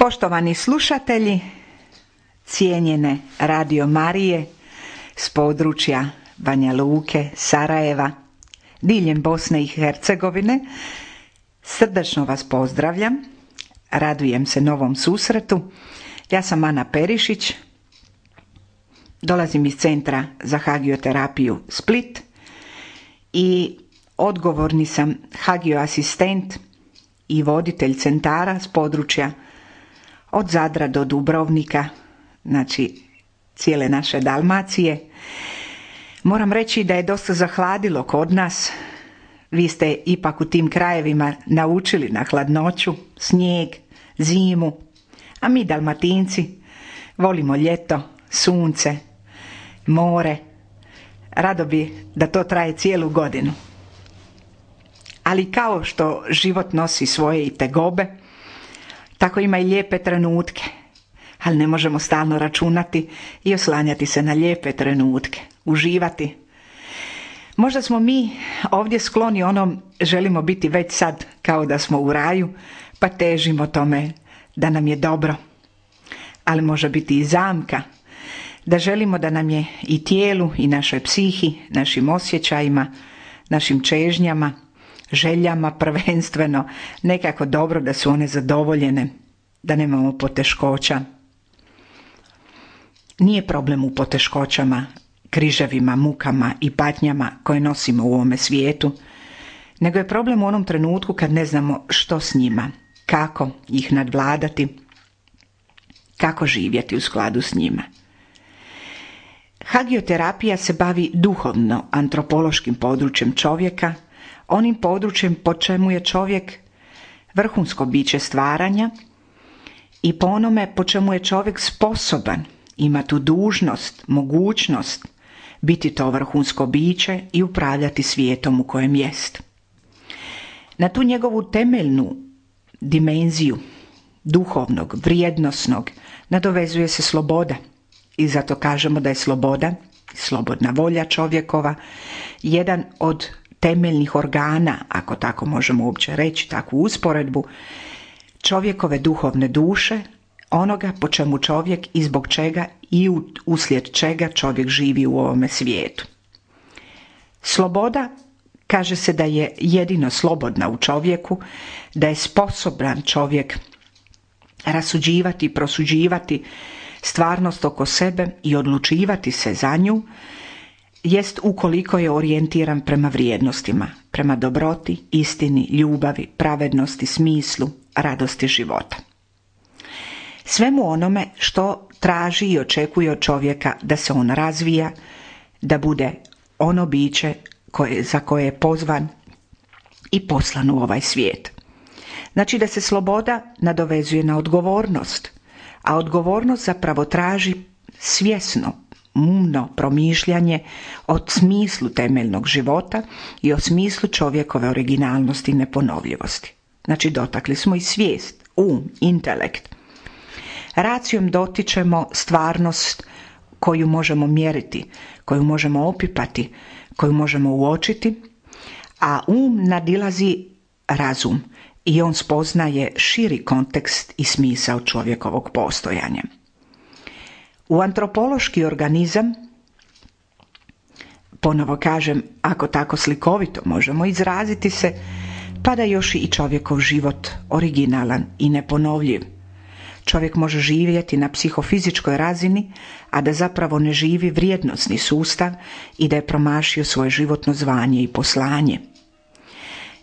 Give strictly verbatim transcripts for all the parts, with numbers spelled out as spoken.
Poštovani slušatelji, cijenjene Radio Marije s područja Banja Luke, Sarajeva, diljem Bosne i Hercegovine, srdačno vas pozdravljam, radujem se novom susretu. Ja sam Ana Perišić, dolazim iz Centra za hagioterapiju Split i odgovorni sam hagioasistent i voditelj centara s područja od Zadra do Dubrovnika, znači cijele naše Dalmacije. Moram reći da je dosta zahladilo kod nas. Vi ste ipak u tim krajevima naučili na hladnoću, snijeg, zimu, a mi Dalmatinci volimo ljeto, sunce, more. Rado bi da to traje cijelu godinu. Ali kao što život nosi svoje i tegobe, tako ima i lijepe trenutke, ali ne možemo stalno računati i oslanjati se na lijepe trenutke, uživati. Možda smo mi ovdje skloni onom, želimo biti već sad kao da smo u raju, pa težimo tome da nam je dobro. Ali može biti i zamka, da želimo da nam je i tijelu i našoj psihi, našim osjećajima, našim čežnjama, željama prvenstveno nekako dobro, da su one zadovoljene, da nemamo poteškoća. Nije problem u poteškoćama, križevima, mukama i patnjama koje nosimo u ovome svijetu, nego je problem u onom trenutku kad ne znamo što s njima, kako ih nadvladati, kako živjeti u skladu s njima. Hagioterapija se bavi duhovno antropološkim područjem čovjeka, onim područjem po čemu je čovjek vrhunsko biće stvaranja i po onome po čemu je čovjek sposoban, ima tu dužnost, mogućnost biti to vrhunsko biće i upravljati svijetom u kojem jest. Na tu njegovu temeljnu dimenziju duhovnog, vrijednosnog nadovezuje se sloboda i zato kažemo da je sloboda, slobodna volja čovjekova, jedan od temeljnih organa, ako tako možemo uopće reći, takvu usporedbu, čovjekove duhovne duše, onoga po čemu čovjek i zbog čega i uslijed čega čovjek živi u ovome svijetu. Sloboda, kaže se da je jedino slobodna u čovjeku, da je sposoban čovjek rasuđivati, prosuđivati stvarnost oko sebe i odlučivati se za nju, jest ukoliko je orijentiran prema vrijednostima, prema dobroti, istini, ljubavi, pravednosti, smislu, radosti života. Svemu onome što traži i očekuje od čovjeka da se on razvija, da bude ono biće koje, za koje je pozvan i poslan u ovaj svijet. Znači da se sloboda nadovezuje na odgovornost, a odgovornost zapravo traži svjesno, umno promišljanje o smislu temeljnog života i o smislu čovjekove originalnosti i neponovljivosti. Znači dotakli smo i svijest, um, intelekt. Racijom dotičemo stvarnost koju možemo mjeriti, koju možemo opipati, koju možemo uočiti, a um nadilazi razum i on spoznaje širi kontekst i smisao čovjekovog postojanja. U antropološki organizam, ponovo kažem, ako tako slikovito možemo izraziti se, pada još i čovjekov život originalan i neponovljiv. Čovjek može živjeti na psihofizičkoj razini, a da zapravo ne živi vrijednosni sustav i da je promašio svoje životno zvanje i poslanje.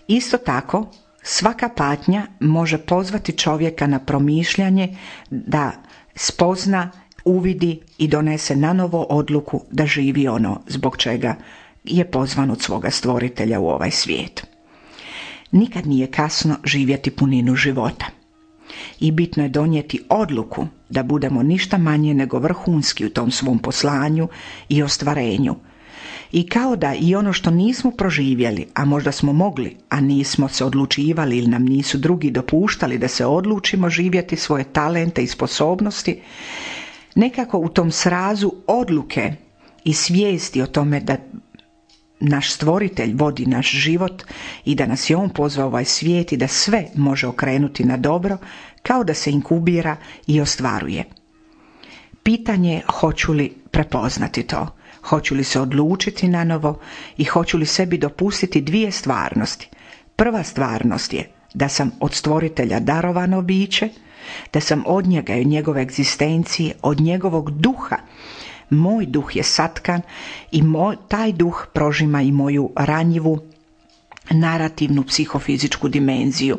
Isto tako, svaka patnja može pozvati čovjeka na promišljanje da spozna, uvidi i donese nanovo odluku da živi ono zbog čega je pozvan od svoga stvoritelja u ovaj svijet. Nikad nije kasno živjeti puninu života. I bitno je donijeti odluku da budemo ništa manje nego vrhunski u tom svom poslanju i ostvarenju. I kao da i ono što nismo proživjeli, a možda smo mogli, a nismo se odlučivali ili nam nisu drugi dopuštali da se odlučimo živjeti svoje talente i sposobnosti, nekako u tom srazu odluke i svijesti o tome da naš stvoritelj vodi naš život i da nas je on pozvao ovaj svijet i da sve može okrenuti na dobro, kao da se inkubira i ostvaruje. Pitanje je hoću li prepoznati to, hoću li se odlučiti na novo i hoću li sebi dopustiti dvije stvarnosti. Prva stvarnost je da sam od stvoritelja darovano biće, da sam od njega i od njegove egzistencije, od njegovog duha. Moj duh je satkan i moj, taj duh prožima i moju ranjivu narativnu psihofizičku dimenziju.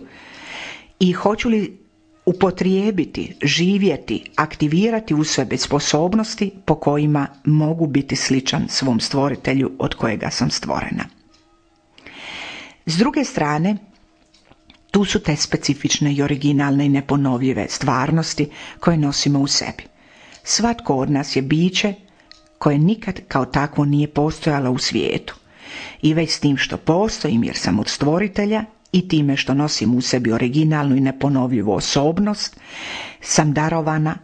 I hoću li upotrijebiti, živjeti, aktivirati u sebi sposobnosti po kojima mogu biti sličan svom stvoritelju od kojega sam stvorena. S druge strane, tu su te specifične i originalne i neponovljive stvarnosti koje nosimo u sebi. Svatko od nas je biće koje nikad kao takvo nije postojalo u svijetu. I već s tim što postojim jer sam od stvoritelja i time što nosim u sebi originalnu i neponovljivu osobnost, sam darovana,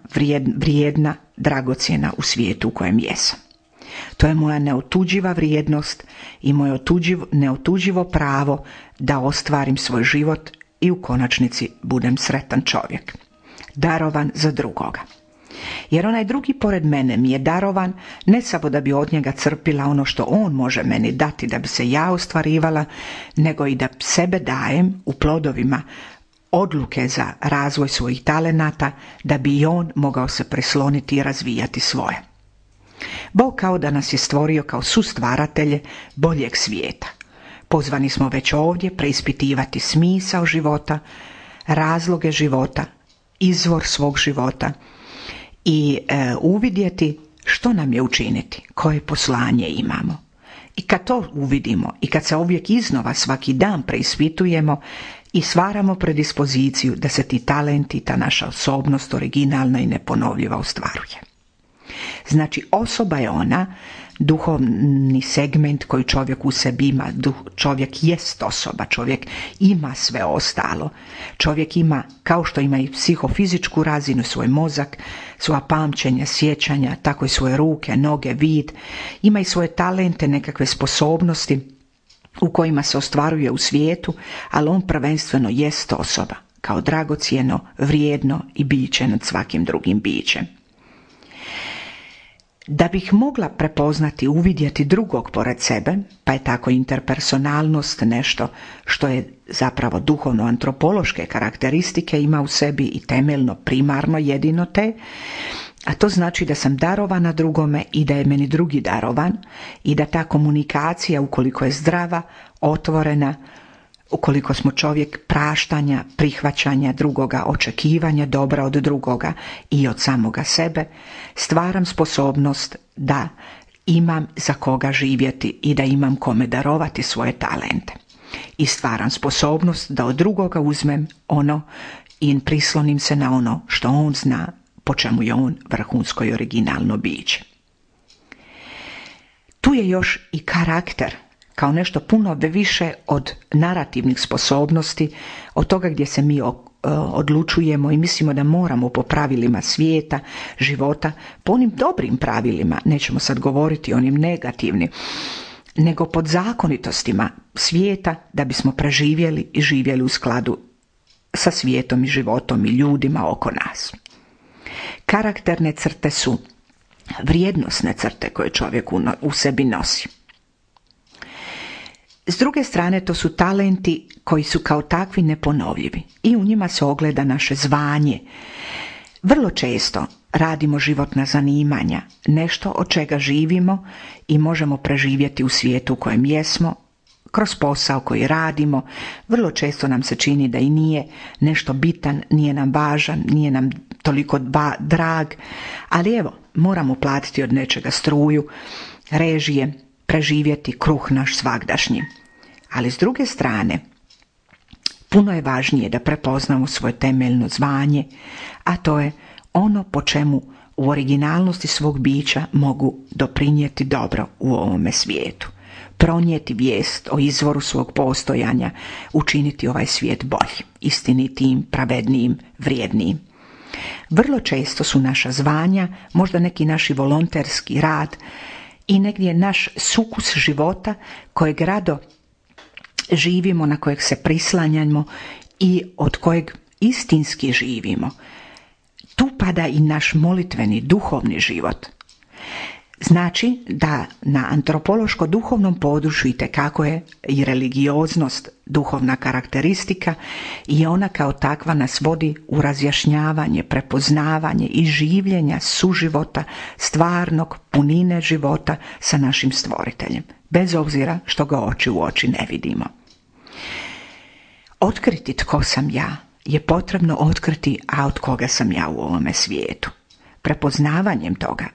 vrijedna, dragocjena u svijetu u kojem jesam. To je moja neotuđiva vrijednost i moje otuđivo, neotuđivo pravo da ostvarim svoj život i u konačnici budem sretan čovjek. Darovan za drugoga. Jer onaj drugi pored mene mi je darovan ne samo da bi od njega crpila ono što on može meni dati da bi se ja ostvarivala, nego i da sebe dajem u plodovima odluke za razvoj svojih talenata da bi i on mogao se prisloniti i razvijati svoje. Bog kao da nas je stvorio kao sustvaratelje boljeg svijeta. Pozvani smo već ovdje preispitivati smisao života, razloge života, izvor svog života i e, uvidjeti što nam je učiniti, koje poslanje imamo. I kad to uvidimo i kad se uvijek iznova svaki dan preispitujemo i stvaramo predispoziciju da se ti talenti, ta naša osobnost originalna i neponovljiva ostvaruje. Znači, osoba je ona, duhovni segment koji čovjek u sebi ima. Čovjek jest osoba, čovjek ima sve ostalo. Čovjek ima, kao što ima i psihofizičku razinu, svoj mozak, svoja pamćenja, sjećanja, tako i svoje ruke, noge, vid. Ima i svoje talente, nekakve sposobnosti u kojima se ostvaruje u svijetu, ali on prvenstveno jest osoba, kao dragocjeno, vrijedno i biće nad svakim drugim bićem. Da bih mogla prepoznati, uvidjeti drugog pored sebe, pa je tako interpersonalnost nešto što je zapravo duhovno-antropološke karakteristike, ima u sebi i temeljno, primarno jedino te, a to znači da sam darovana drugome i da je meni drugi darovan i da ta komunikacija, ukoliko je zdrava, otvorena, ukoliko smo čovjek praštanja, prihvaćanja drugoga, očekivanja dobra od drugoga i od samoga sebe, stvaram sposobnost da imam za koga živjeti i da imam kome darovati svoje talente. I stvaram sposobnost da od drugoga uzmem ono i prislonim se na ono što on zna, po čemu je on vrhunsko i originalno biće. Tu je još i karakter, kao nešto puno više od narativnih sposobnosti, od toga gdje se mi odlučujemo i mislimo da moramo po pravilima svijeta, života, po onim dobrim pravilima, nećemo sad govoriti o onim negativnim, nego pod zakonitostima svijeta da bismo preživjeli i živjeli u skladu sa svijetom i životom i ljudima oko nas. Karakterne crte su vrijednosne crte koje čovjek u sebi nosi. S druge strane, to su talenti koji su kao takvi neponovljivi i u njima se ogleda naše zvanje. Vrlo često radimo životna zanimanja, nešto od čega živimo i možemo preživjeti u svijetu u kojem jesmo, kroz posao koji radimo. Vrlo često nam se čini da i nije nešto bitan, nije nam važan, nije nam toliko drag, ali evo, moramo platiti od nečega struju, režije, preživjeti kruh naš svagdašnji. Ali s druge strane, puno je važnije da prepoznamo svoje temeljno zvanje, a to je ono po čemu u originalnosti svog bića mogu doprinijeti dobro u ovome svijetu. Pronijeti vijest o izvoru svog postojanja, učiniti ovaj svijet boljim, istinitijim, pravednijim, vrijednijim. Vrlo često su naša zvanja, možda neki naši volonterski rad i negdje naš sukus života kojeg rado živimo, na kojeg se prislanjamo i od kojeg istinski živimo. Tu pada i naš molitveni, duhovni život. Znači da na antropološko-duhovnom području itekako je i religioznost duhovna karakteristika i ona kao takva nas vodi u razjašnjavanje, prepoznavanje i življenja suživota, stvarnog punine života sa našim stvoriteljem, bez obzira što ga oči u oči ne vidimo. Otkriti tko sam ja je potrebno otkriti, a od koga sam ja u ovome svijetu. Prepoznavanjem toga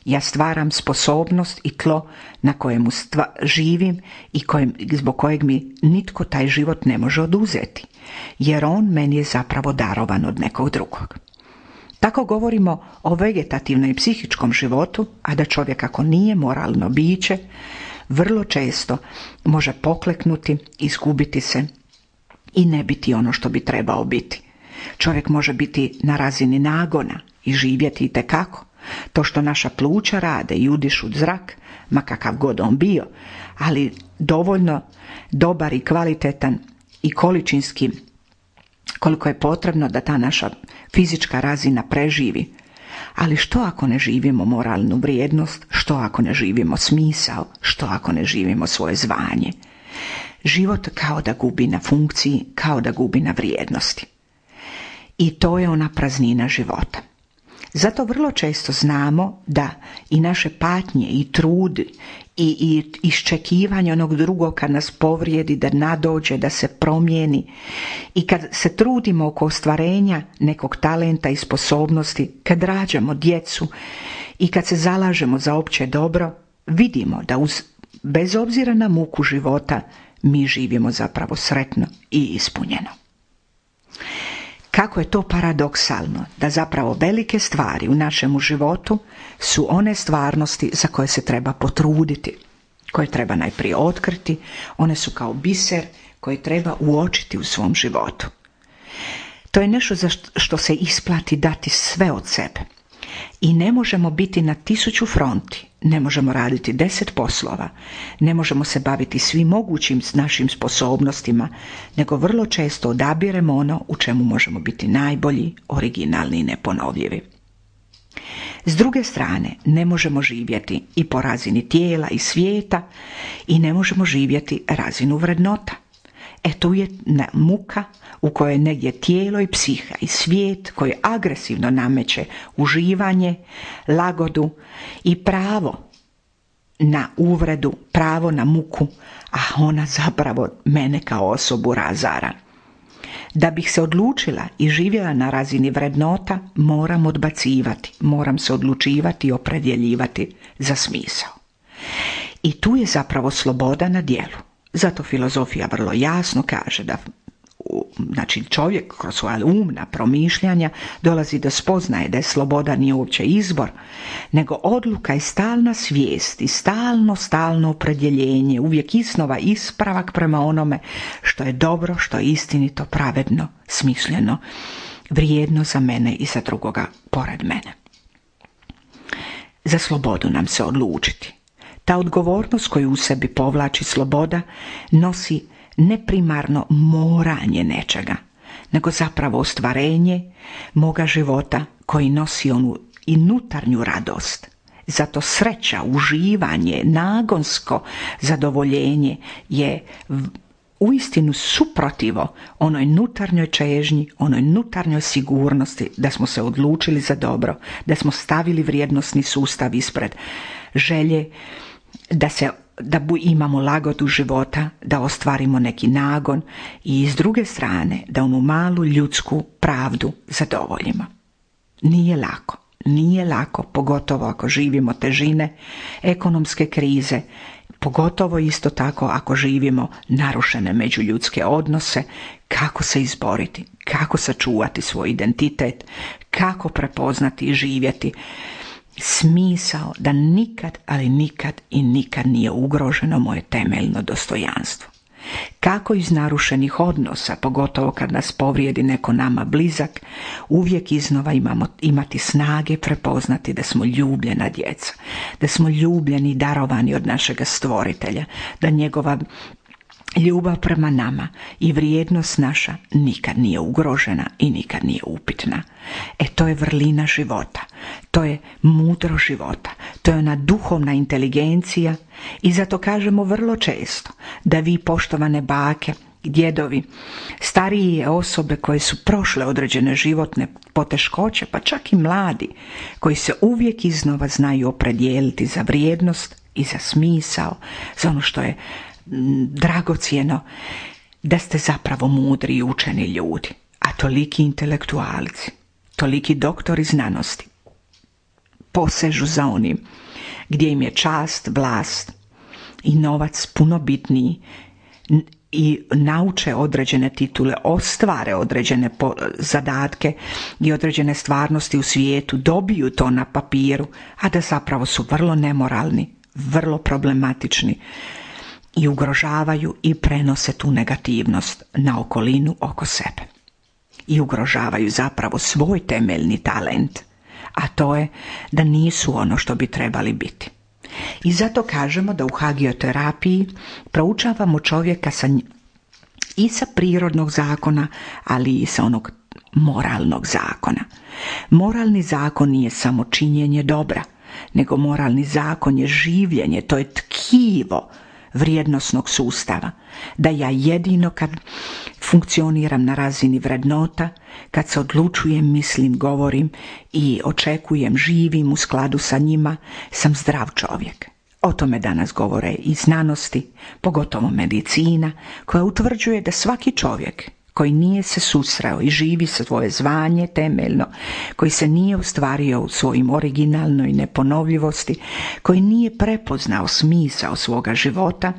ja stvaram sposobnost i tlo na kojemu stva, živim i kojem, zbog kojeg mi nitko taj život ne može oduzeti, jer on meni je zapravo darovan od nekog drugog. Tako govorimo o vegetativnom i psihičkom životu, a da čovjek ako nije moralno biće, vrlo često može pokleknuti, izgubiti se i ne biti ono što bi trebao biti. Čovjek može biti na razini nagona i živjeti itekako. To što naša pluća rade i udišu zrak, ma kakav god on bio, ali dovoljno dobar i kvalitetan i količinski koliko je potrebno da ta naša fizička razina preživi. Ali što ako ne živimo moralnu vrijednost, što ako ne živimo smisao, što ako ne živimo svoje zvanje? Život kao da gubi na funkciji, kao da gubi na vrijednosti. I to je ona praznina života. Zato vrlo često znamo da i naše patnje i trud i, i iščekivanje onog drugog kad nas povrijedi, da nadođe, da se promijeni i kad se trudimo oko ostvarenja nekog talenta i sposobnosti, kad rađamo djecu i kad se zalažemo za opće dobro, vidimo da uz, bez obzira na muku života mi živimo zapravo sretno i ispunjeno. Kako je to paradoksalno da zapravo velike stvari u našemu životu su one stvarnosti za koje se treba potruditi, koje treba najprije otkriti, one su kao biser koji treba uočiti u svom životu. To je nešto za što se isplati dati sve od sebe. I ne možemo biti na tisuću fronti, ne možemo raditi deset poslova, ne možemo se baviti svim mogućim s našim sposobnostima, nego vrlo često odabiremo ono u čemu možemo biti najbolji, originalni i neponovljivi. S druge strane, ne možemo živjeti i po razini tijela i svijeta i ne možemo živjeti razinu vrednota. E tu je muka u kojoj negdje tijelo i psiha i svijet koji agresivno nameće uživanje, lagodu i pravo na uvredu, pravo na muku, a ona zapravo mene kao osobu razara. Da bih se odlučila i živjela na razini vrednota, moram odbacivati, moram se odlučivati i opredjeljivati za smisao. I tu je zapravo sloboda na djelu. Zato filozofija vrlo jasno kaže da znači čovjek kroz svoja umna promišljanja dolazi do spoznaje da je sloboda nije uopće izbor, nego odluka i stalna svijest i stalno, stalno opredjeljenje, uvijek iznova ispravak prema onome što je dobro, što je istinito, pravedno, smišljeno, vrijedno za mene i za drugoga pored mene. Za slobodu nam se odlučiti. Ta odgovornost koju u sebi povlači sloboda nosi ne primarno moranje nečega, nego zapravo ostvarenje moga života koji nosi onu i unutarnju radost. Zato sreća, uživanje, nagonsko zadovoljenje je uistinu suprotivo onoj unutarnjoj čežnji, onoj unutarnjoj sigurnosti da smo se odlučili za dobro, da smo stavili vrijednosni sustav ispred želje da se da imamo lagodu života, da ostvarimo neki nagon i s druge strane da onu malu ljudsku pravdu zadovoljimo. Nije lako, nije lako, pogotovo ako živimo težine ekonomske krize, pogotovo isto tako ako živimo narušene međuljudske odnose, kako se izboriti, kako sačuvati svoj identitet, kako prepoznati i živjeti smisao da nikad, ali nikad i nikad nije ugroženo moje temeljno dostojanstvo. Kako iz narušenih odnosa, pogotovo kad nas povrijedi neko nama blizak, uvijek iznova imamo, imati snage prepoznati da smo ljubljena djeca, da smo ljubljeni i darovani od našega stvoritelja, da njegova ljubav prema nama i vrijednost naša nikad nije ugrožena i nikad nije upitna. E to je vrlina života, to je mudro života, to je ona duhovna inteligencija i zato kažemo vrlo često da vi, poštovane bake, djedovi, starije osobe koje su prošle određene životne poteškoće, pa čak i mladi, koji se uvijek iznova znaju opredijeliti za vrijednost i za smisao, za ono što je dragocjeno, da ste zapravo mudri i učeni ljudi, a toliki intelektualci, toliki doktori znanosti posežu za onim gdje im je čast, vlast i novac puno bitniji i nauče određene titule, ostvare određene zadatke i određene stvarnosti u svijetu, dobiju to na papiru, a da zapravo su vrlo nemoralni, vrlo problematični i ugrožavaju i prenose tu negativnost na okolinu oko sebe. I ugrožavaju zapravo svoj temeljni talent, a to je da nisu ono što bi trebali biti. I zato kažemo da u hagioterapiji proučavamo čovjeka sa, i sa prirodnog zakona, ali i sa onog moralnog zakona. Moralni zakon nije samo činjenje dobra, nego moralni zakon je življenje, to je tkivo vrijednosnog sustava, da ja jedino kad funkcioniram na razini vrednota, kad se odlučujem, mislim, govorim i očekujem, živim u skladu sa njima, sam zdrav čovjek. O tome danas govore i znanosti, pogotovo medicina, koja utvrđuje da svaki čovjek koji nije se susreo i živi svoje zvanje temeljno, koji se nije ostvario u svojim originalnoj neponovljivosti, koji nije prepoznao smisao svoga života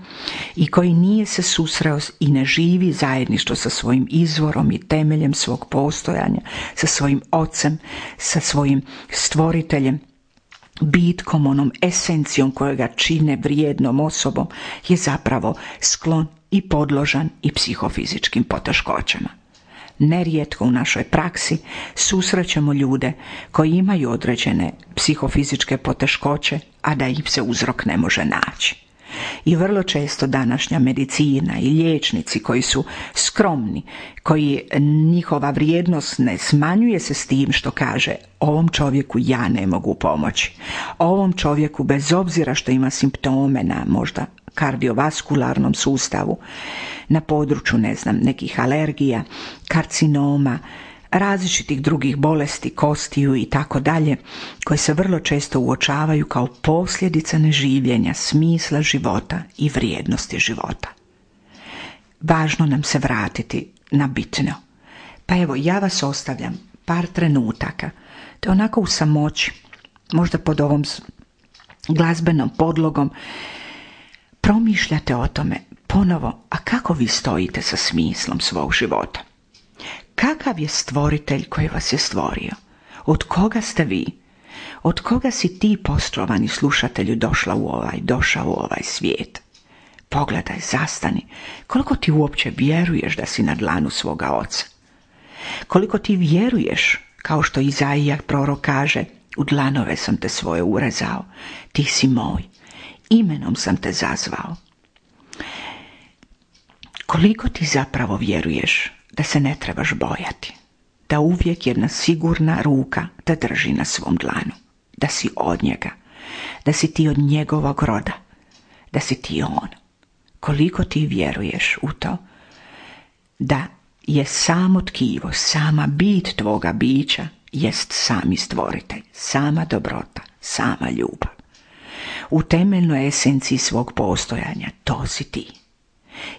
i koji nije se susreo i ne živi zajedništvo sa svojim izvorom i temeljem svog postojanja, sa svojim ocem, sa svojim stvoriteljem, bitkom, onom esencijom kojega čine vrijednom osobom, je zapravo sklon i podložan i psihofizičkim poteškoćama. Nerijetko u našoj praksi susrećemo ljude koji imaju određene psihofizičke poteškoće, a da im se uzrok ne može naći. I vrlo često današnja medicina i liječnici koji su skromni, koji njihova vrijednost ne smanjuje se s tim što kaže ovom čovjeku ja ne mogu pomoći. Ovom čovjeku bez obzira što ima simptome na možda kardiovaskularnom sustavu, na području, ne znam, nekih alergija, karcinoma, različitih drugih bolesti, kostiju i tako dalje, koje se vrlo često uočavaju kao posljedica neživljenja, smisla života i vrijednosti života. Važno nam se vratiti na bitno. Pa evo, ja vas ostavljam par trenutaka, te onako u samoći, možda pod ovom glazbenom podlogom, promišljate o tome ponovo, a kako vi stojite sa smislom svog života? Kakav je stvoritelj koji vas je stvorio? Od koga ste vi? Od koga si ti, poštovani slušatelju, došla u ovaj, došao u ovaj svijet? Pogledaj, zastani. Koliko ti uopće vjeruješ da si na dlanu svoga oca? Koliko ti vjeruješ, kao što Izaija prorok kaže, u dlanove sam te svoje urezao, ti si moj, imenom sam te zazvao. Koliko ti zapravo vjeruješ da se ne trebaš bojati, da uvijek jedna sigurna ruka te drži na svom dlanu, da si od njega, da si ti od njegovog roda, da si ti on. Koliko ti vjeruješ u to da je samo tkivo, sama bit tvoga bića jest sami stvoritelj, sama dobrota, sama ljubav. U temeljnoj esenciji svog postojanja to si ti.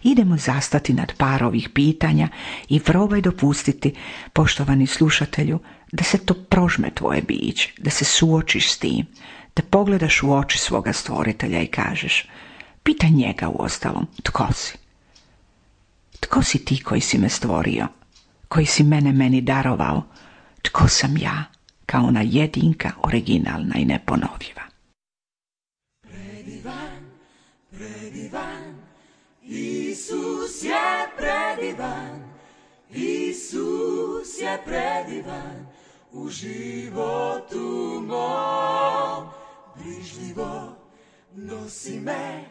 Idemo zastati nad par ovih pitanja i probaj dopustiti, poštovani slušatelju, da se to prožme tvoje biće, da se suočiš s tim, da pogledaš u oči svoga stvoritelja i kažeš, pitaj njega uostalom, tko si? Tko si ti koji si me stvorio, koji si mene meni darovao? Tko sam ja, kao ona jedinka, originalna i neponovljiva? Predivan, predivan, i Isus je predivan, Isus je predivan, u životu mom. Brižljivo nosi me,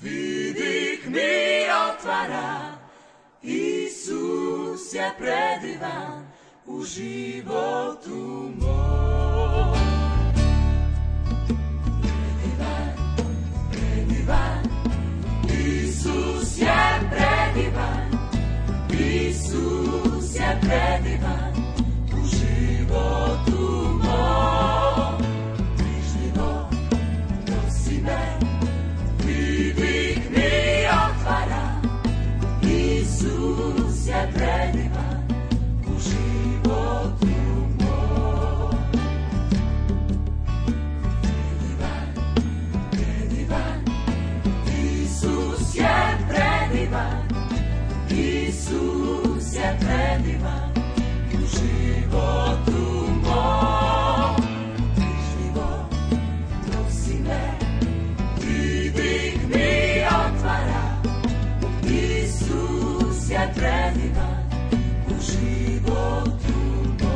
vidik mi otvara. Isus je predivan, u životu mom. Predivan, predivan, Isus je predivan, Isus je predivan, u životu mom. Brižljivo nosi me, vidik mi otvara. Isus je predivan, u životu mom. Predivan, predivan, Isus je predivan, Isus je predivan, u životu mom. Brižljivo nosi me, vidik mi otvara. Isus je predivan, u životu mom.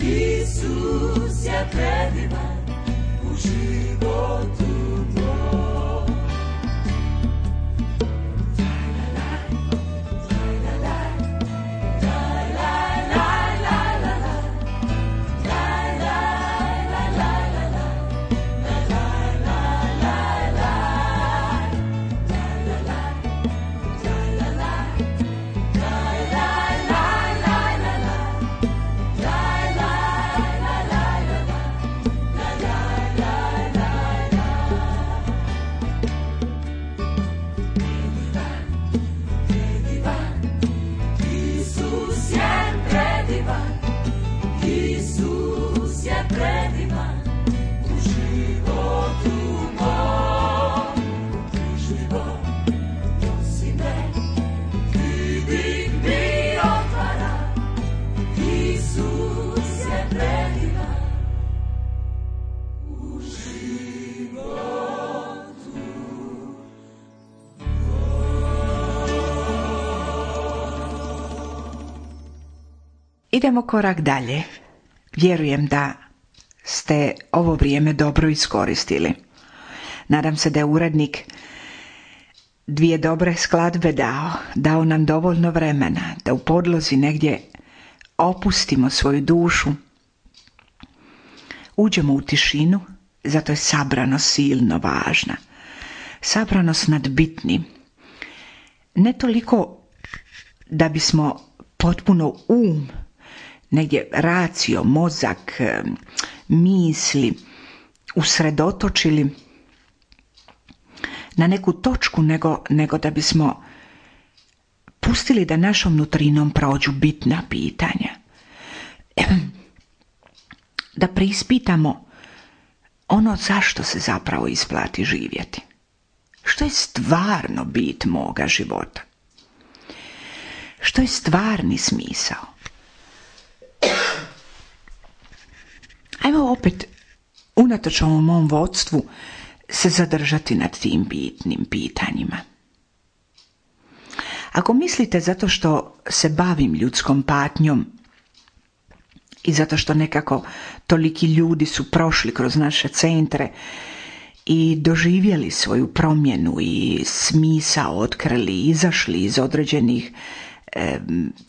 Isus je predivan, u životu mom. Isus je predivan, u životu mom. Brižljivo nosi me, vidik mi otvara. Isus je predivan, u životu mom. Idemo korak dalje. Vjerujem da ste ovo vrijeme dobro iskoristili. Nadam se da je urednik dvije dobre skladbe dao, dao nam dovoljno vremena da u podlozi negdje opustimo svoju dušu, uđemo u tišinu, zato je sabranost silno važna. Sabranost nad bitnim. Ne toliko da bismo potpuno um, negdje racio, mozak, misli usredotočili na neku točku, nego, nego da bismo pustili da našom nutrinom prođu bitna pitanja. Da preispitamo ono zašto se zapravo isplati živjeti. Što je stvarno bit moga života? Što je stvarni smisao? Ajmo opet unatoč ovom mom vodstvu, se zadržati nad tim bitnim pitanjima. Ako mislite zato što se bavim ljudskom patnjom i zato što nekako toliki ljudi su prošli kroz naše centre i doživjeli svoju promjenu i smisao otkrili, izašli iz određenih e,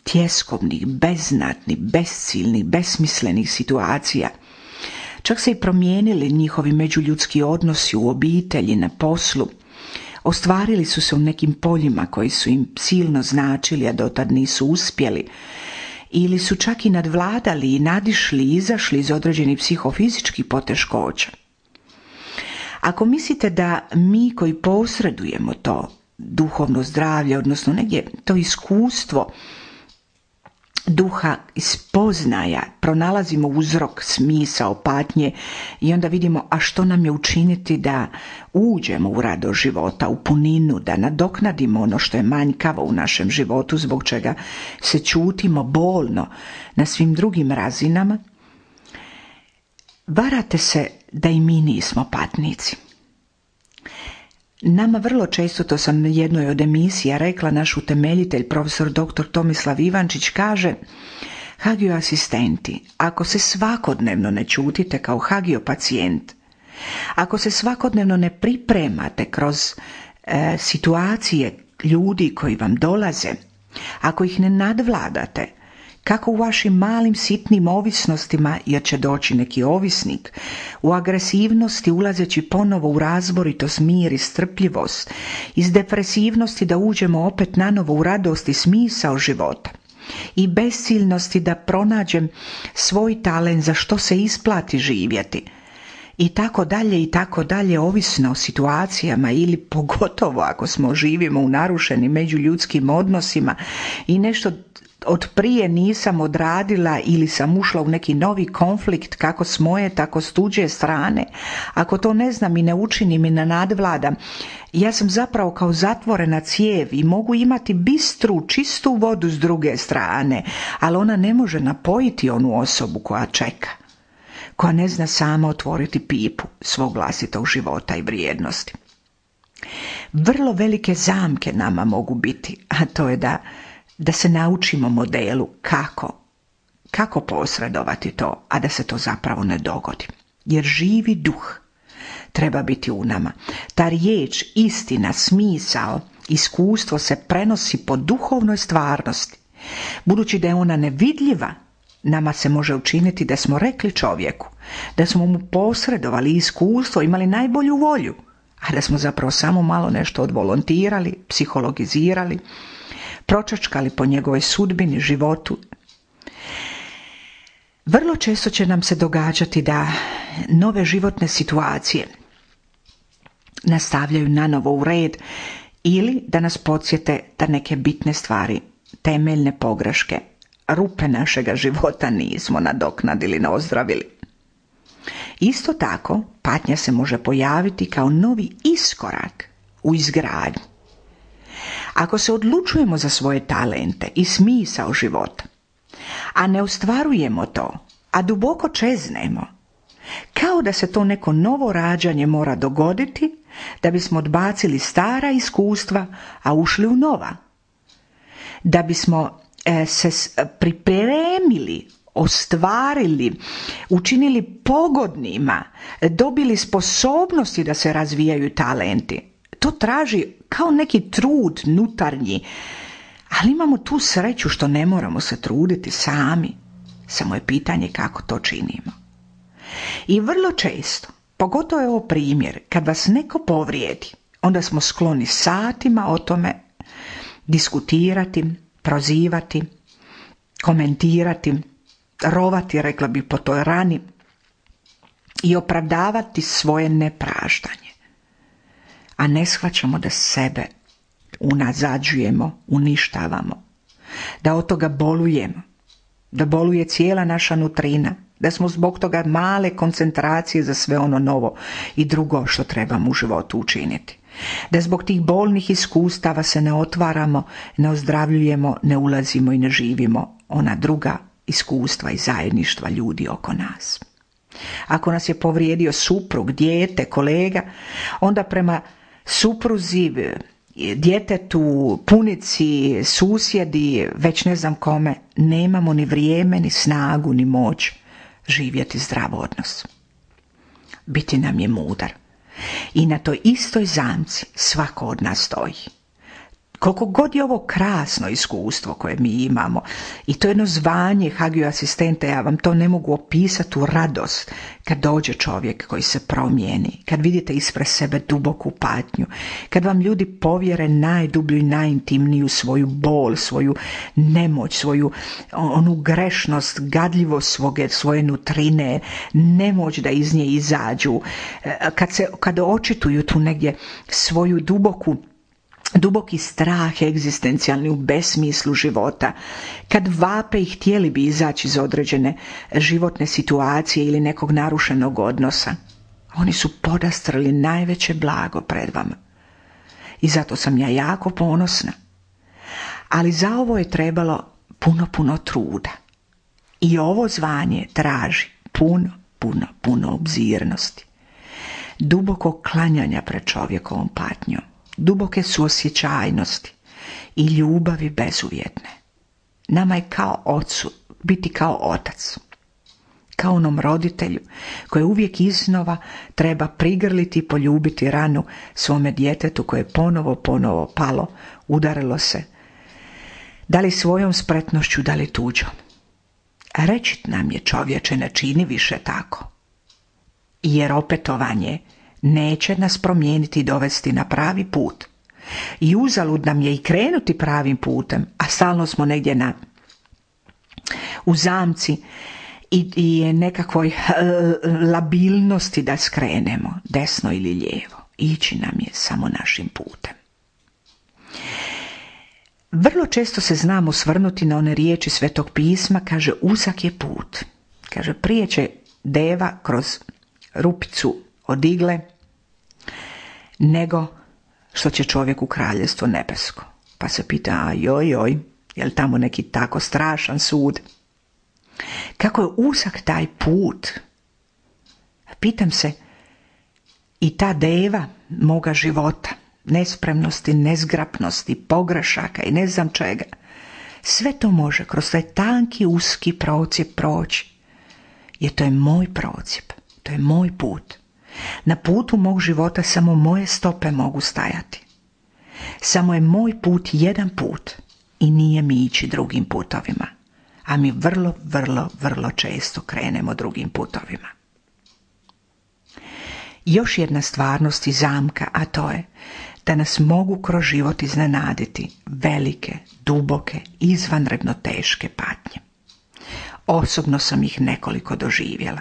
tjeskovnih, beznatnih, besciljnih, besmislenih situacija, čak se i promijenili njihovi međuljudski odnosi u obitelji, na poslu, ostvarili su se u nekim poljima koji su im silno značili, a dotad nisu uspjeli, ili su čak i nadvladali i nadišli i izašli iz određenih psihofizičkih poteškoća. Ako mislite da mi koji posredujemo to duhovno zdravlje, odnosno negdje to iskustvo duha i spoznaja, pronalazimo uzrok, smisao patnje i onda vidimo a što nam je učiniti da uđemo u radost života, u puninu, da nadoknadimo ono što je manjkavo u našem životu, zbog čega se čutimo bolno na svim drugim razinama, varate se da i mi nismo patnici. Nama vrlo često, to sam na jednoj od emisija rekla, naš utemeljitelj, profesor doktor Tomislav Ivančić, kaže: hagio asistenti, ako se svakodnevno ne čutite kao hagio pacijent, ako se svakodnevno ne pripremate kroz e, situacije ljudi koji vam dolaze, ako ih ne nadvladate, kako u vašim malim sitnim ovisnostima, jer će doći neki ovisnik, u agresivnosti ulazeći ponovo u razboritost, mir i strpljivost, iz depresivnosti da uđemo opet nanovo u radost i smisao života, i besciljnosti da pronađem svoj talent za što se isplati živjeti, i tako dalje i tako dalje, ovisno o situacijama, ili pogotovo ako smo živimo u narušenim međuljudskim odnosima i nešto od prije nisam odradila ili sam ušla u neki novi konflikt, kako s moje, tako s tuđe strane. Ako to ne znam i ne učinim i ne nadvladam, ja sam zapravo kao zatvorena cijev i mogu imati bistru, čistu vodu s druge strane, ali ona ne može napojiti onu osobu koja čeka, koja ne zna sama otvoriti pipu svog vlastitog života i vrijednosti. Vrlo velike zamke nama mogu biti, a to je da da se naučimo modelu kako, kako posredovati to, a da se to zapravo ne dogodi. Jer živi duh treba biti u nama. Ta riječ, istina, smisao, iskustvo se prenosi po duhovnoj stvarnosti. Budući da je ona nevidljiva, nama se može učiniti da smo rekli čovjeku, da smo mu posredovali iskustvo, imali najbolju volju, a da smo zapravo samo malo nešto odvolontirali, psihologizirali, pročačkali po njegovoj sudbini, životu. Vrlo često će nam se događati da nove životne situacije nastavljaju nanovo u red ili da nas podsjete da neke bitne stvari, temeljne pogreške, rupe našega života nismo nadoknadili, ne ozdravili. Isto tako, patnja se može pojaviti kao novi iskorak u izgradnji. Ako se odlučujemo za svoje talente i smisao života, a ne ostvarujemo to, a duboko čeznemo, kao da se to neko novo rađanje mora dogoditi da bismo odbacili stara iskustva, a ušli u nova. Da bismo e, se pripremili, ostvarili, učinili pogodnima, dobili sposobnosti da se razvijaju talenti. To traži kao neki trud nutarnji, ali imamo tu sreću što ne moramo se truditi sami. Samo je pitanje kako to činimo. I vrlo često, pogotovo je ovo primjer, kad vas neko povrijedi, onda smo skloni satima o tome diskutirati, prozivati, komentirati, rovati, rekla bi, po toj rani i opravdavati svoje nepraštanje. A ne shvaćamo da sebe unazađujemo, uništavamo, da od toga bolujemo, da boluje cijela naša nutrina, da smo zbog toga male koncentracije za sve ono novo i drugo što trebamo u životu učiniti. Da zbog tih bolnih iskustava se ne otvaramo, ne ozdravljujemo, ne ulazimo i ne živimo ona druga iskustva i zajedništva ljudi oko nas. Ako nas je povrijedio suprug, dijete, kolega, onda prema supruzi, djetetu, punici, susjedi, već ne znam kome, nemamo ni vrijeme, ni snagu, ni moć živjeti zdrav odnos. Biti nam je mudar. I na toj istoj zamci svako od nas stoji. Koliko god je ovo krasno iskustvo koje mi imamo i to jedno zvanje hagio asistenta, ja vam to ne mogu opisati u radost kad dođe čovjek koji se promijeni, kad vidite ispred sebe duboku patnju, kad vam ljudi povjere najdublju i najintimniju svoju bol, svoju nemoć, svoju onu grešnost, gadljivost svoje, svoje nutrine, nemoć da iz nje izađu, kad, se, kad očituju tu negdje svoju duboku duboki strah egzistencijalni u besmislu života, kad vape i htjeli bi izaći iz određene životne situacije ili nekog narušenog odnosa, oni su podastrli najveće blago pred vama. I zato sam ja jako ponosna. Ali za ovo je trebalo puno, puno truda. I ovo zvanje traži puno, puno, puno obzirnosti, duboko klanjanja pred čovjekovom patnjom, duboke suosjećajnosti i ljubavi bezuvjetne. Nama je kao ocu biti kao otac, kao onom roditelju koji uvijek iznova treba prigrliti i poljubiti ranu svome djetetu koje je ponovo, ponovo palo, udarilo se, da li svojom spretnošću, da li tuđom. Reći nam je, čovječe, ne čini više tako, jer opetovanje neće nas promijeniti i dovesti na pravi put. I uzalud nam je i krenuti pravim putem, a stalno smo negdje na, u zamci i, i nekakvoj e, labilnosti da skrenemo desno ili lijevo. Ići nam je samo našim putem. Vrlo često se znamo svrnuti na one riječi Svetog pisma, kaže uzak je put. Kaže prije će deva kroz rupicu od igle nego što će čovjek u kraljevstvo nebesko. Pa se pita, a joj, joj, je li tamo neki tako strašan sud? Kako je uzak taj put? Pitam se, i ta deva moga života, nespremnosti, nezgrapnosti, pogrešaka i ne znam čega, sve to može kroz taj tanki, uski procjep proći. Jer to je moj procjep, to je moj put. Na putu mog života samo moje stope mogu stajati. Samo je moj put jedan put i nije mi ići drugim putovima. A mi vrlo, vrlo, vrlo često krenemo drugim putovima. Još jedna stvarnost i zamka, a to je da nas mogu kroz život iznenaditi velike, duboke, izvanredno teške patnje. Osobno sam ih nekoliko doživjela.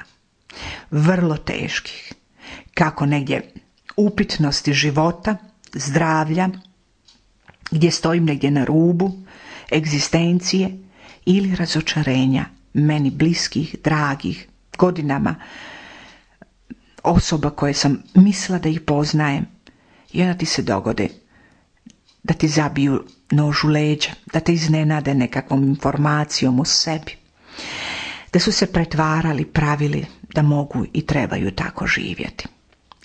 Vrlo teških. Kako negdje upitnosti života, zdravlja, gdje stojim negdje na rubu egzistencije ili razočarenja meni bliskih, dragih, godinama osoba koje sam mislila da ih poznajem, i onda ti se dogode da ti zabiju nož u leđa, da te iznenade nekakvom informacijom o sebi, da su se pretvarali, pravili da mogu i trebaju tako živjeti.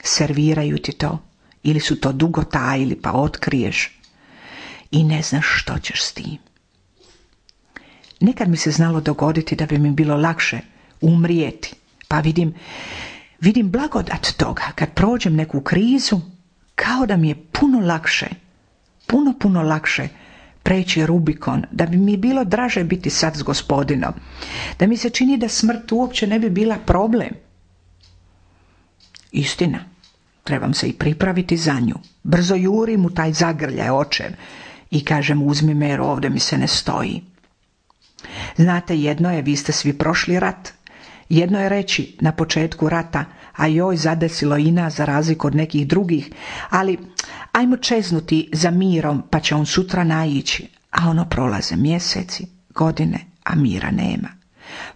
Serviraju ti to, ili su to dugo tajili pa otkriješ i ne znaš što ćeš s tim. Nekad mi se znalo dogoditi da bi mi bilo lakše umrijeti, pa vidim, vidim blagodat toga kad prođem neku krizu, kao da mi je puno lakše, puno, puno lakše preći Rubikon, da bi mi bilo draže biti sad s Gospodinom, da mi se čini da smrt uopće ne bi bila problem. Istina, trebam se i pripraviti za nju. Brzo jurim u taj zagrljaj očev i kažem uzmi me jer ovdje mi se ne stoji. Znate, jedno je, vi ste svi prošli rat, jedno je reći na početku rata, a joj zadesilo i nas za razliku od nekih drugih, ali ajmo čeznuti za mirom pa će on sutra naići, a ono prolaze mjeseci, godine, a mira nema.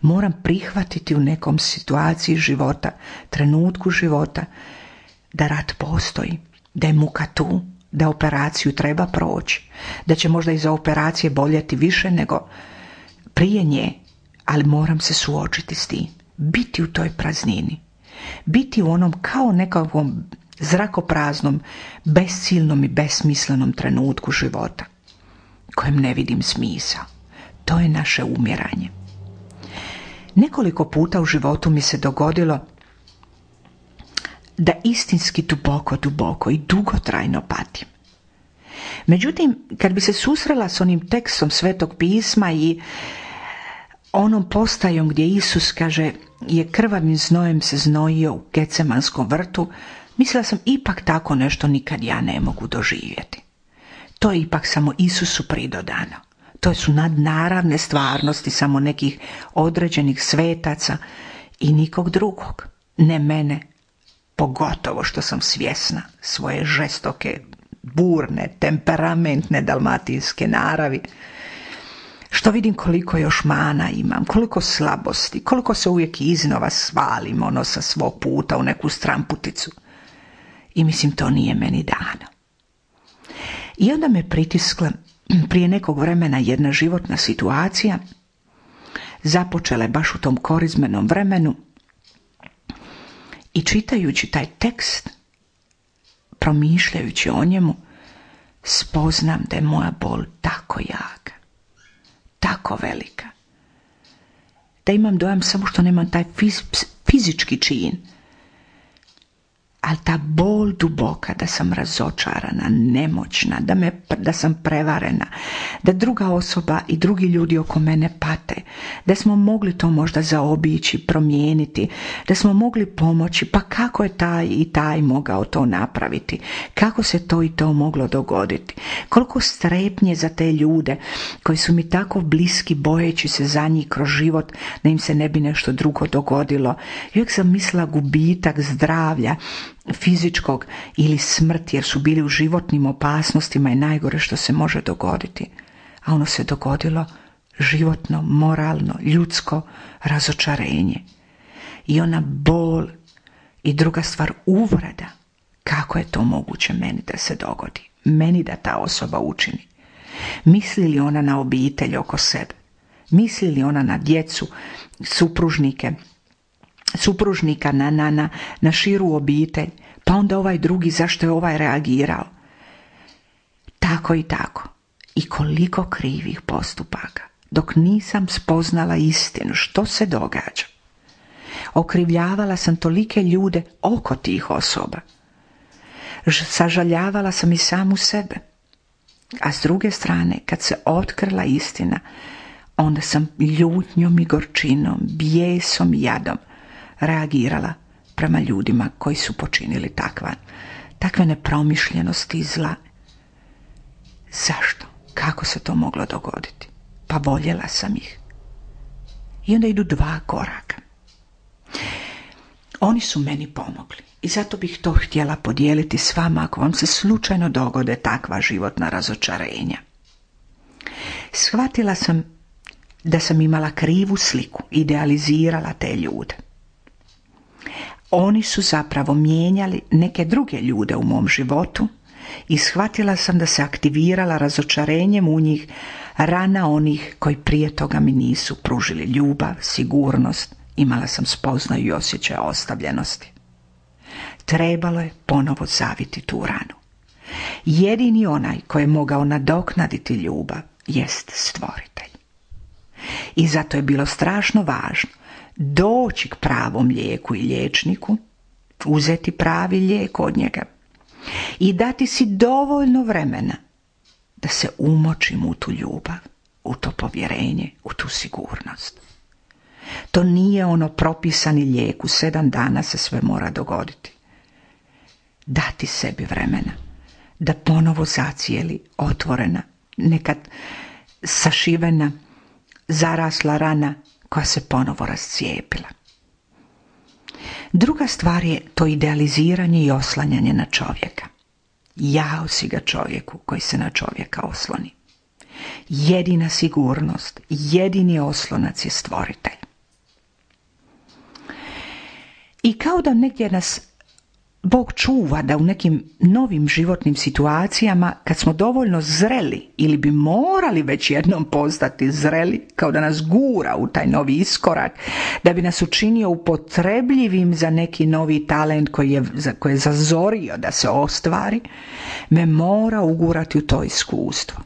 Moram prihvatiti u nekom situaciji života, trenutku života, da rat postoji, da je muka tu, da operaciju treba proći, da će možda iza operacije boljeti više nego prije nje, ali moram se suočiti s tim. biti u toj praznini, biti u onom kao nekakvom zrakopraznom, besciljnom i besmislenom trenutku života, kojem ne vidim smisao. To je naše umiranje. Nekoliko puta u životu mi se dogodilo da istinski duboko, duboko i dugotrajno patim. Međutim, kad bi se susrela s onim tekstom Svetog pisma i onom postajom gdje Isus kaže je krvavim znojem se znojio u Gecemanskom vrtu, mislila sam ipak tako nešto nikad ja ne mogu doživjeti. To je ipak samo Isusu pridodano. To su nadnaravne stvarnosti samo nekih određenih svetaca i nikog drugog. Ne mene, pogotovo što sam svjesna svoje žestoke, burne, temperamentne dalmatinske naravi. Što vidim koliko još mana imam, koliko slabosti, koliko se uvijek iznova svalim ono sa svog puta u neku stramputicu. I mislim, to nije meni dano. I onda me pritiskla prije nekog vremena jedna životna situacija, započela je baš u tom korizmenom vremenu, i čitajući taj tekst, promišljajući o njemu, spoznam da je moja bol tako jaka, tako velika, da imam dojam samo što nemam taj fiz, fizički čin, ali ta bol duboka, da sam razočarana, nemoćna, da, me, da sam prevarena, da druga osoba i drugi ljudi oko mene pate, da smo mogli to možda zaobići, promijeniti, da smo mogli pomoći, pa kako je taj i taj mogao to napraviti, kako se to i to moglo dogoditi, koliko strepnje za te ljude koji su mi tako bliski, bojeći se za njih kroz život da im se ne bi nešto drugo dogodilo. I uvijek sam mislila gubitak zdravlja fizičkog ili smrt, jer su bili u životnim opasnostima i najgore što se može dogoditi. A ono se dogodilo životno, moralno, ljudsko razočarenje. I ona bol i druga stvar, uvreda. Kako je to moguće meni da se dogodi? Meni da ta osoba učini? Misli li ona na obitelj oko sebe? Misli li ona na djecu, supružnike, supružnika, na, na, na, na širu obitelj, pa onda ovaj drugi, zašto je ovaj reagirao? Tako i tako. I koliko krivih postupaka, dok nisam spoznala istinu što se događa. Okrivljavala sam tolike ljude oko tih osoba. Sažaljavala sam i samu sebe. A s druge strane, kad se otkrila istina, onda sam ljutnjom i gorčinom, bijesom i jadom reagirala prema ljudima koji su počinili takva, takve nepromišljenosti i zla. Zašto? Kako se to moglo dogoditi? Pa voljela sam ih. I onda idu dva koraka. Oni su meni pomogli i zato bih to htjela podijeliti s vama ako vam se slučajno dogode takva životna razočarenja. Shvatila sam da sam imala krivu sliku, idealizirala te ljude. Oni su zapravo mijenjali neke druge ljude u mom životu i shvatila sam da se aktivirala razočarenjem u njih rana onih koji prije toga mi nisu pružili ljubav, sigurnost, imala sam spoznaju i osjećaj ostavljenosti. Trebalo je ponovo zaviti tu ranu. Jedini onaj koji je mogao nadoknaditi ljubav jest Stvoritelj. I zato je bilo strašno važno doći k pravom lijeku i liječniku, uzeti pravi lijek od njega i dati si dovoljno vremena da se umočim u tu ljubav, u to povjerenje, u tu sigurnost. To nije ono propisani lijek, u sedam dana se sve mora dogoditi. Dati sebi vremena da ponovo zacijeli otvorena, nekad sašivena, zarasla rana koja se ponovo rascijepila. Druga stvar je to idealiziranje i oslanjanje na čovjeka. Jao si ga čovjeku koji se na čovjeka osloni. Jedina sigurnost, jedini oslonac je Stvoritelj. I kao da negdje nas Bog čuva da u nekim novim životnim situacijama, kad smo dovoljno zreli ili bi morali već jednom postati zreli, kao da nas gura u taj novi iskorak, da bi nas učinio upotrebljivim za neki novi talent koji je, koji je zazorio da se ostvari, me mora ugurati u to iskustvo.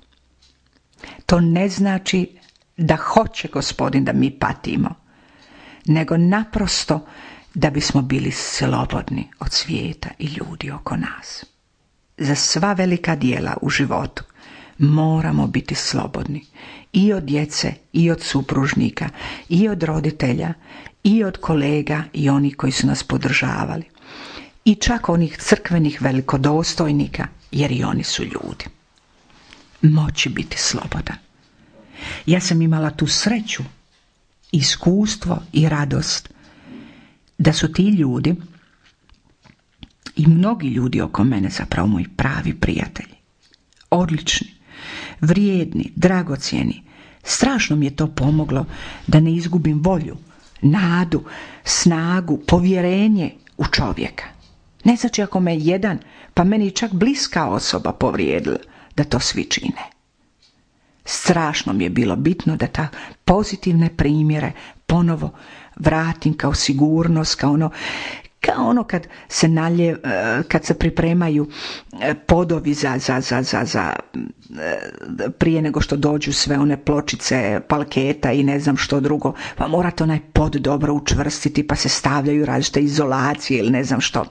To ne znači da hoće Gospodin da mi patimo, nego naprosto da bismo bili slobodni od svijeta i ljudi oko nas. Za sva velika djela u životu moramo biti slobodni i od djece, i od supružnika, i od roditelja, i od kolega i onih koji su nas podržavali. I čak onih crkvenih velikodostojnika, jer i oni su ljudi. Moći biti slobodan. Ja sam imala tu sreću, iskustvo i radost da su ti ljudi i mnogi ljudi oko mene zapravo moji pravi prijatelji. Odlični, vrijedni, dragocjeni. Strašno mi je to pomoglo da ne izgubim volju, nadu, snagu, povjerenje u čovjeka. Ne znači ako me jedan, pa meni čak bliska osoba povrijedila, da to svi čine. Strašno mi je bilo bitno da ta pozitivne primjere ponovo vratim kao sigurnost, kao ono, kao ono kad se nalje, kad se pripremaju podovi za, za, za, za, za prije nego što dođu sve one pločice, palketa i ne znam što drugo, pa morate onaj pod dobro učvrstiti, pa se stavljaju različite izolacije ili ne znam što.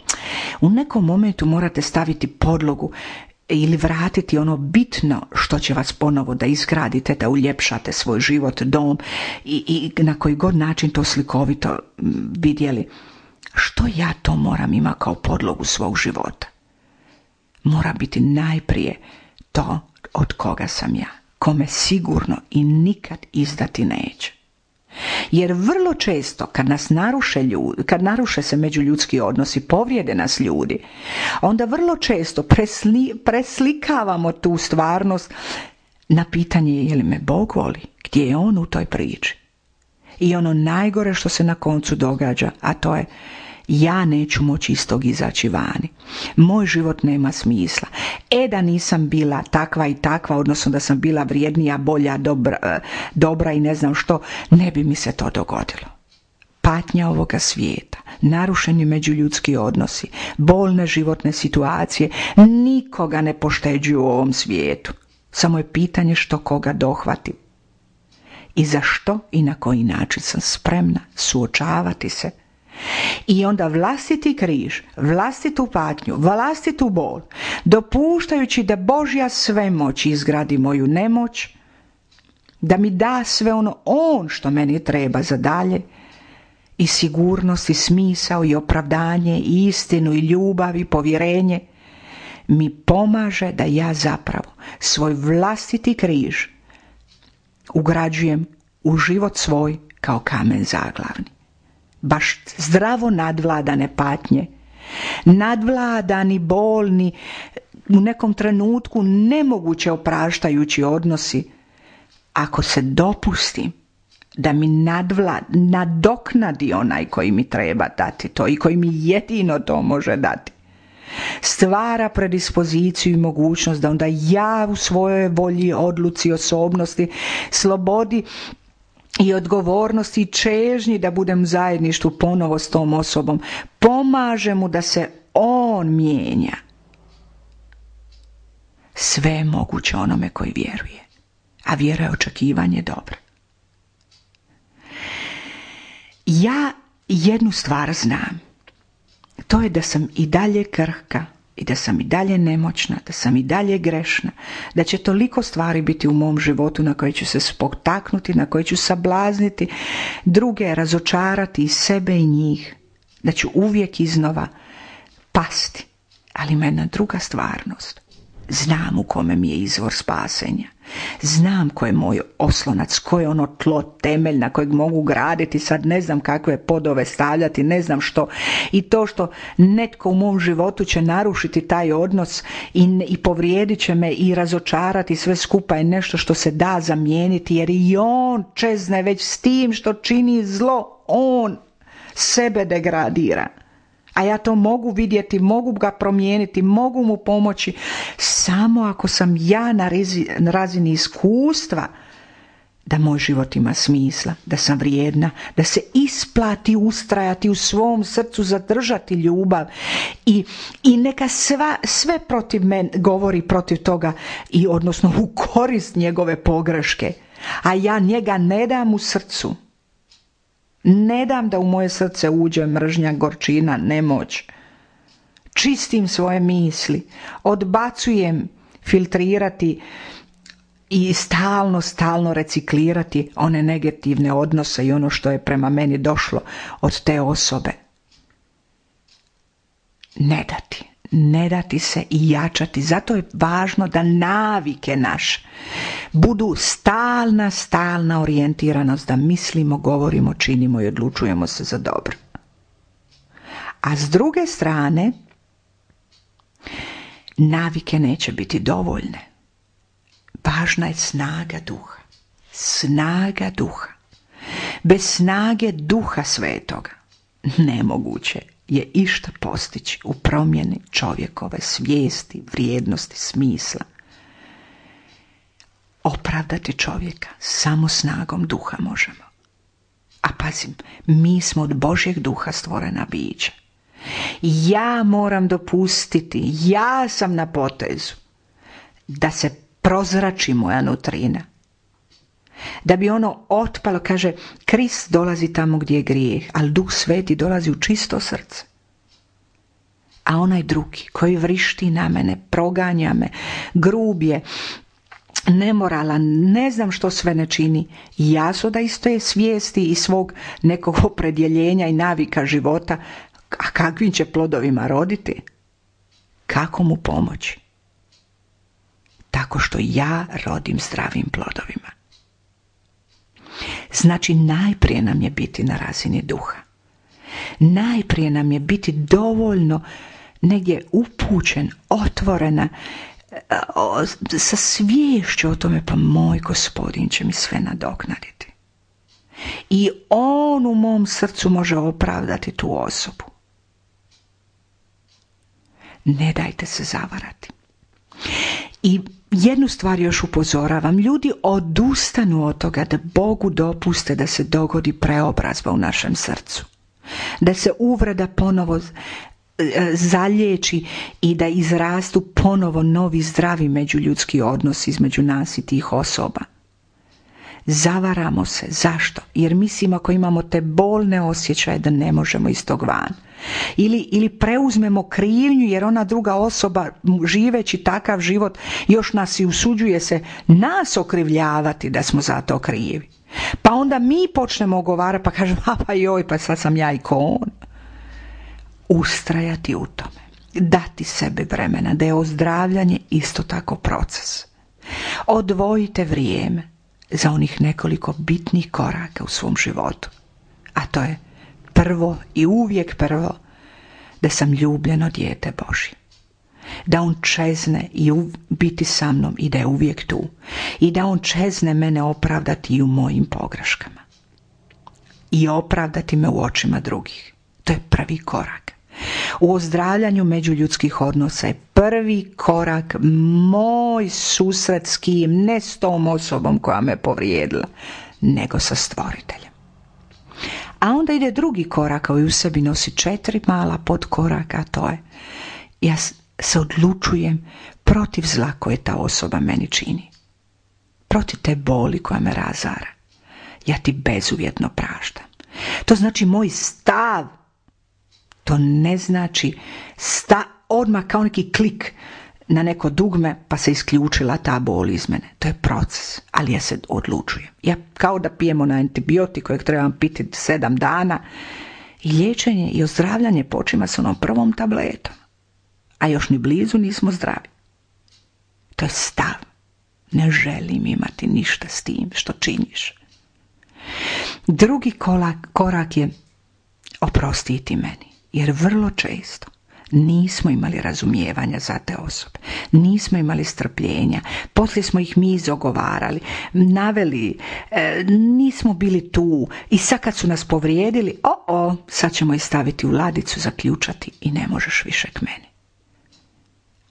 U nekom momentu morate staviti podlogu ili vratiti ono bitno što će vas ponovo da izgradite, da uljepšate svoj život, dom i, i na koji god način to slikovito vidjeli. Što ja to moram ima kao podlogu svog života? Mora biti najprije to od koga sam ja, kome sigurno i nikad izdati neće. Jer vrlo često kad nas naruše ljudi, kad naruše se međuljudski odnosi, povrijede nas ljudi, onda vrlo često presli, preslikavamo tu stvarnost na pitanje je li me Bog voli, gdje je on u toj priči. I ono najgore što se na koncu događa, a to je ja neću moći iz tog izaći vani. Moj život nema smisla. E da nisam bila takva i takva, odnosno da sam bila vrijednija, bolja, dobra, dobra i ne znam što, ne bi mi se to dogodilo. Patnja ovoga svijeta, narušeni međuljudski odnosi, bolne životne situacije, nikoga ne pošteđuju u ovom svijetu. Samo je pitanje što koga dohvati. I za što i na koji način sam spremna suočavati se. I onda vlastiti križ, vlastitu patnju, vlastitu bol, dopuštajući da Božja svemoć izgradi moju nemoć, da mi da sve ono on što meni treba za dalje, i sigurnost, i smisao, i opravdanje, i istinu, i ljubav, i povjerenje, mi pomaže da ja zapravo svoj vlastiti križ ugrađujem u život svoj kao kamen zaglavni. Baš zdravo nadvladane patnje, nadvladani, bolni, u nekom trenutku nemoguće opraštajući odnosi, ako se dopustim da mi nadvlad, nadoknadi onaj koji mi treba dati to i koji mi jedino to može dati, stvara predispoziciju i mogućnost da onda ja u svojoj volji, odluci, osobnosti, slobodi i odgovornosti i čežnji da budem u zajedništvu ponovo s tom osobom, pomaže mu da se on mijenja. Sve je moguće onome koji vjeruje, a vjera je očekivanje dobra. Ja jednu stvar znam, to je da sam i dalje krhka i da sam i dalje nemoćna, da sam i dalje grešna, da će toliko stvari biti u mom životu na koje ću se spotaknuti, na koje ću sablazniti, druge razočarati i sebe i njih, da ću uvijek iznova pasti, ali ima jedna druga stvarnost. Znam u kome mi je izvor spasenja. Znam ko je moj oslonac, ko je ono tlo, temelj na kojeg mogu graditi, sad ne znam kakve podove stavljati, ne znam što. I to što netko u mom životu će narušiti taj odnos i, i povrijedit će me i razočarati, sve skupa je nešto što se da zamijeniti, jer i on čezne već s tim što čini zlo, on sebe degradira. A ja to mogu vidjeti, mogu ga promijeniti, mogu mu pomoći samo ako sam ja na, rezi, na razini iskustva da moj život ima smisla, da sam vrijedna, da se isplati ustrajati u svom srcu, zadržati ljubav i, i neka sva, sve protiv mene govori protiv toga i odnosno u korist njegove pogreške, a ja njega ne dam u srcu. Ne dam da u moje srce uđe mržnja, gorčina, nemoć. Čistim svoje misli, odbacujem filtrirati i stalno, stalno reciklirati one negativne odnose i ono što je prema meni došlo od te osobe. Ne dati, ne dati se i jačati. Zato je važno da navike naše budu stalna, stalna orijentiranost, da mislimo, govorimo, činimo i odlučujemo se za dobro. A s druge strane, navike neće biti dovoljne. Važna je snaga duha. Snaga duha. Bez snage duha svetoga nemoguće je išta postići u promjeni čovjekove svijesti, vrijednosti, smisla. Opravdati čovjeka samo snagom duha možemo. A pazim, mi smo od Božjeg duha stvorena bića. Ja moram dopustiti, ja sam na potezu da se prozrači moja nutrina. Da bi ono otpalo, kaže, Krist dolazi tamo gdje je grijeh, ali Duh Sveti dolazi u čisto srce. A onaj drugi koji vrišti na mene, proganja me, grub je, nemoralan, ne znam što sve ne čini, ja su da iz te svijesti i svog nekog opredjeljenja i navika života, a kakvim će plodovima roditi? Kako mu pomoći? Tako što ja rodim zdravim plodovima. Znači, najprije nam je biti na razini duha. Najprije nam je biti dovoljno negdje upućen, otvorena, sa sviješću o tome, pa moj Gospodin će mi sve nadoknaditi. I on u mom srcu može opravdati tu osobu. Ne dajte se zavarati. I jednu stvar još upozoravam, ljudi odustanu od toga da Bogu dopuste da se dogodi preobrazba u našem srcu. Da se uvreda ponovo zalječi i da izrastu ponovo novi zdravi međuljudski odnos između nas i tih osoba. Zavaramo se. Zašto? Jer mislimo ako imamo te bolne osjećaje da ne možemo iz tog van. Ili, ili preuzmemo krivnju jer ona druga osoba živeći takav život još nas i usuđuje se nas okrivljavati da smo za to krivi. Pa onda mi počnemo ogovarati pa kažemo a pa joj pa sad sam ja i ko on. Ustrajati u tome. Dati sebi vremena da je ozdravljanje isto tako proces. Odvojite vrijeme za onih nekoliko bitnih koraka u svom životu. A to je prvo i uvijek prvo da sam ljubljeno dijete Božje. Da on čezne i biti sa mnom i da je uvijek tu. I da on čezne mene opravdati i u mojim pogreškama. I opravdati me u očima drugih. To je prvi korak. U ozdravljanju međuljudskih odnosa je prvi korak moj susret s kim, ne s tom osobom koja me povrijedila, nego sa Stvoriteljem. A onda ide drugi korak koji u sebi nosi četiri mala podkoraka, a to je ja se odlučujem protiv zla koje ta osoba meni čini. Protiv te boli koja me razara. Ja ti bezuvjetno praštam. To znači moj stav. To ne znači sta, odmah kao neki klik na neko dugme pa se isključila ta bol iz mene. To je proces, ali ja se odlučujem. Ja kao da pijemo na antibiotik kojeg trebam piti sedam dana i liječenje i ozdravljanje počima s onom prvom tabletom. A još ni blizu nismo zdravi. To je stav. Ne želim imati ništa s tim što činiš. Drugi korak, korak je oprostiti meni. Jer vrlo često Nismo imali razumijevanja za te osobe, nismo imali strpljenja, poslije smo ih mi izogovarali, naveli, e, nismo bili tu i sad kad su nas povrijedili, o, o, sad ćemo ih staviti u ladicu, zaključati i ne možeš više k meni.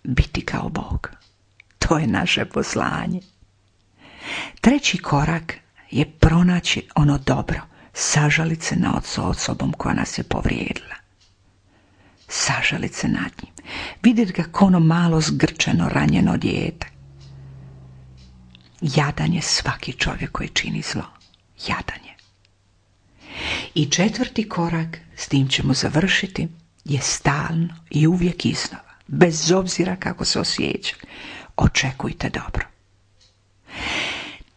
Biti kao Bog, to je naše poslanje. Treći korak je pronaći ono dobro, sažalit se nad osobom koja nas je povrijedila. Sažalit se nad njim. Vidjeti ga kao ono malo zgrčeno, ranjeno dijete. Jadan je svaki čovjek koji čini zlo. Jadan je. I četvrti korak, s tim ćemo završiti, je stalno i uvijek iznova, bez obzira kako se osjeća. Očekujte dobro.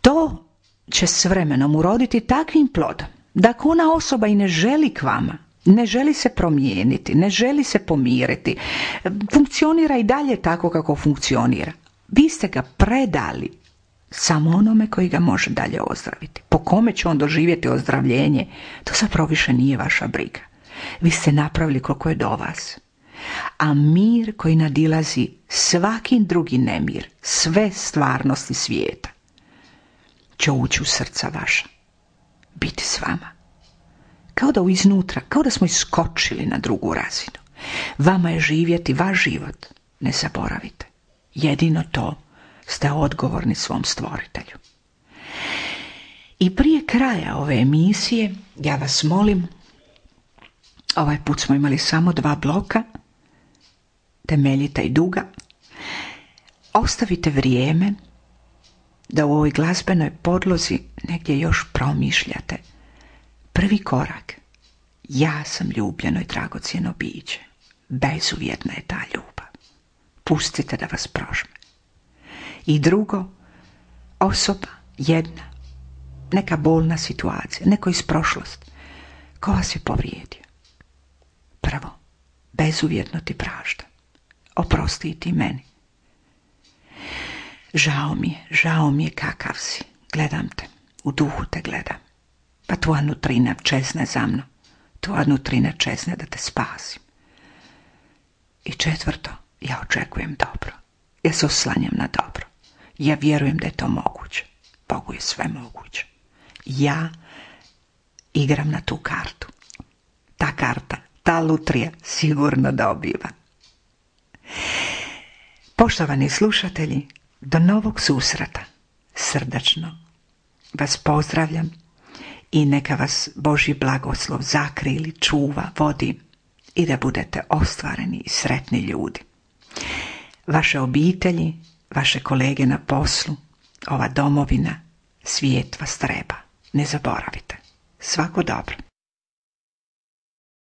To će s vremenom uroditi takvim plodom da ako ona osoba i ne želi k vama, ne želi se promijeniti, ne želi se pomiriti, funkcionira i dalje tako kako funkcionira, vi ste ga predali samo onome koji ga može dalje ozdraviti. Po kome će on doživjeti ozdravljenje, to zapravo više nije vaša briga. Vi ste napravili koliko je do vas. A mir koji nadilazi svaki drugi nemir, sve stvarnosti svijeta, će ući u srca vaša, biti s vama. Kao da iznutra, kao da smo iskočili na drugu razinu. Vama je živjeti vaš život, ne zaboravite. Jedino to ste odgovorni svom stvoritelju. I prije kraja ove emisije, ja vas molim, ovaj put smo imali samo dva bloka, temeljita i duga, ostavite vrijeme da u ovoj glazbenoj podlozi negdje još promišljate. Prvi korak, ja sam ljubljeno i dragocjeno biće. Bezuvjetna je ta ljubav. Pustite da vas prožme. I drugo, osoba jedna, neka bolna situacija, neko iz prošlosti, ko vas je povrijedio. Prvo, bezuvjetno ti praštam. Oprosti i ti meni. Žao mi je, žao mi je kakav si. Gledam te, u duhu te gledam. Pa tvoja nutrina čezne za mnom. Tvoja nutrina čezne da te spasim. I četvrto, ja očekujem dobro. Ja se oslanjam na dobro. Ja vjerujem da je to moguće. Bogu je sve moguće. Ja igram na tu kartu. Ta karta, ta lutrija sigurno dobiva. Poštovani slušatelji, do novog susreta. Srdačno vas pozdravljam i neka vas Božji blagoslov zakrili, čuva, vodi i da budete ostvareni i sretni ljudi. Vaše obitelji, vaše kolege na poslu, ova domovina, svijet vas treba. Ne zaboravite. Svako dobro.